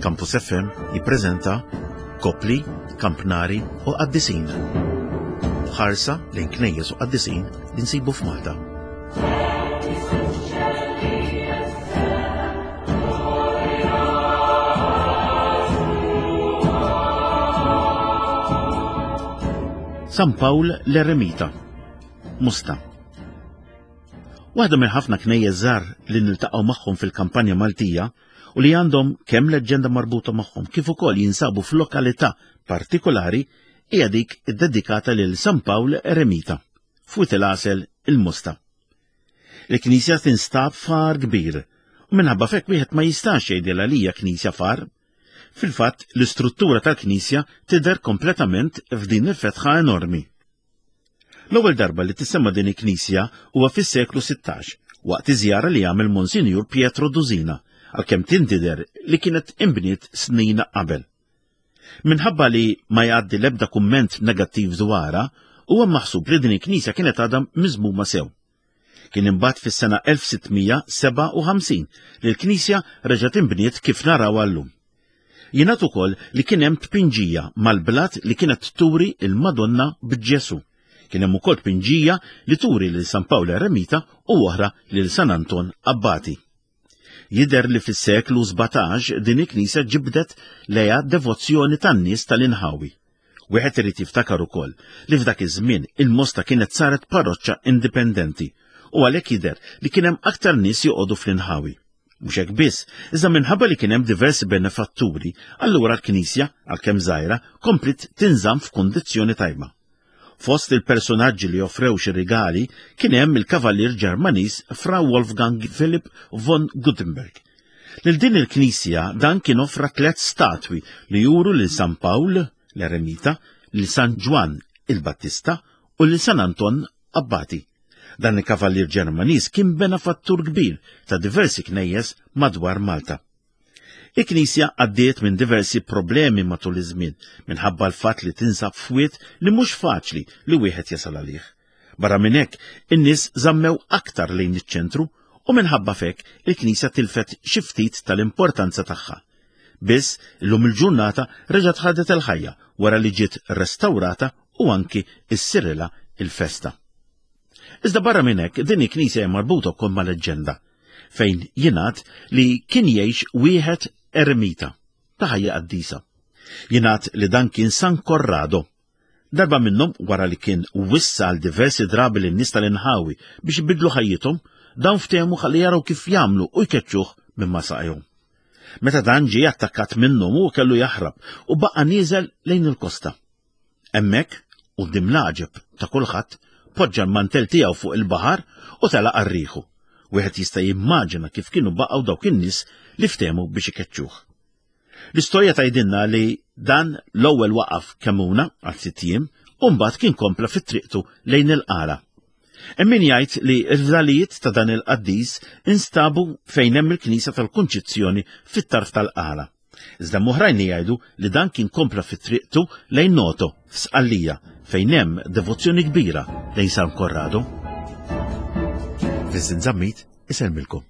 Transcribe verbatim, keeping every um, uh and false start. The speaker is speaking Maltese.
Campus F M jippreżenta Kopli, Kampnari u Qaddisin. Ħarsa lejn knejjes u qaddisin li nsibu f'Malta. San Pawl l-Eremita, Mosta. Waħda minn ħafna knejjes żgħar li niltaqgħu magħhom fil-kampanja Maltija u li għandhom kemm leġġenda marbuta magħhom kif ukoll jinsabu f'lokalità partikolari hija dik iddedikata lil San Pawl Eremita, f'Wied il-Għasel il-Mosta. Il-knisja tinstab far kbir u minħabba f'hekk wieħed ma jistax jgħidilha li hija knisja far. Fil-fatt, l-istruttura tal-knisja tidher kompletament f'din il-fetħa enormi. L-ewwel darba li tissemma din il-knisja huwa fis-seklu sittax, waqt iż-żjara li għamel Monsinjur Pietro Dusina, għalkemm tintider li kienet imbniet snin qabel. Minħabba li ma jgħaddi l-ebda kumment negattiv dwarha, huwa maħsub li din il-knisja kienet għadha miżmuma sew. Kien imbagħad fis-sena elf sittmija seba' u ħamsin li l-knisja reġgħet inbniet kif narawha llum. Jingħad ukoll li kien hemm tpinġija mal-blat li kienet turi il-Madonna b'Ġesu. Kien hemm ukoll tpinġija li turi lil San Pawl Eremita u oħra lil San Anton Abbati. Jidher li fis-seklu sbatax din il-knisja ġibdet lejha devozzjoni tan-nies tal-inħawi. Wieħed irid jiftakar ukoll li f'dak iż-żmien il-Mosta kienet saret parroċċa indipendenti u għalhekk jidher li kien hemm aktar nies joqogħdu fl-inħawi. Mhux hekk biss, iżda minħabba li kien hemm diversi benefatturi, allura l-knisja, għalkemm żgħira, komplet tinżamm f'kundizzjoni tajba. Fost il-personaġġi li offrew xi rigali kien hemm il-kavallier Ġermaniż Fra Wolfgang Philipp von Gutenberg. Lil din il-knisja dan kien offra tliet statwi li juru lil San Pawl l-Eremita, lil San Ġwann il-Battista u lil San Anton Abbati. Dan il-kavallier Ġermaniż kien benefattur kbir ta' diversi knejjes madwar Malta. Il-knisja għaddiet minn diversi problemi matul iż-żmien minħabba l-fatt li tinsab f'wied li mhux faċli li wieħed jasal għalih. Barra minn hekk, in-nies żammew aktar lejn iċ-ċentru u minħabba f'hekk il-knisja tilfet xi ftit tal-importanza tagħha. Biss illum il-ġurnata reġgħet ħadet il-ħajja wara li ġiet restawrata u anki issirilha il-festa. Iżda barra minn hekk din il-knisja hija marbuta wkoll ma' leġġenda fejn jingħad li kien jgħix wieħed eremita ta' ħajja qaddisa. Jingħad li dan kien San Corrado. Darba minnhom wara li kien wissa għal diversi drabi lin-nies tal-inħawi biex ibidlu ħajjithom, dawn ftehmu ħalli jaraw kif jagħmlu u jkeċċuh minn ma saqajhom. Meta dan ġie attakkat minnhom hu kellu jaħrab u baqa' nieżel lejn il-kosta. Hemmhekk, quddiem l-għaġeb ta' kulħadd, poġġa l-mantel tiegħu fuq il-baħar u telaq għar-riħu. Wieħed jista' jimmaġina kif kienu baqgħu dawk in-nies li ftehmu biex ikeċċuh. L-istorja tgħidilna li dan l-ewwel waqaf Kemmuna għal sitt ijiem u mbagħad kien kompla fit-triqtu lejn il-Qala. Hemm min jgħid li l-fdalijiet ta' dan il-qaddis instabu fejn hemm il-Knisja tal-Kunċizzjoni fit-tarf tal-Qala. Iżda oħrajn li jgħidu li dan kien kompla fit-triqtu lejn Noto f'Sqallija fejn hemm devozzjoni kbira lejn San Corrado. Vincent Zammit isellmilkom.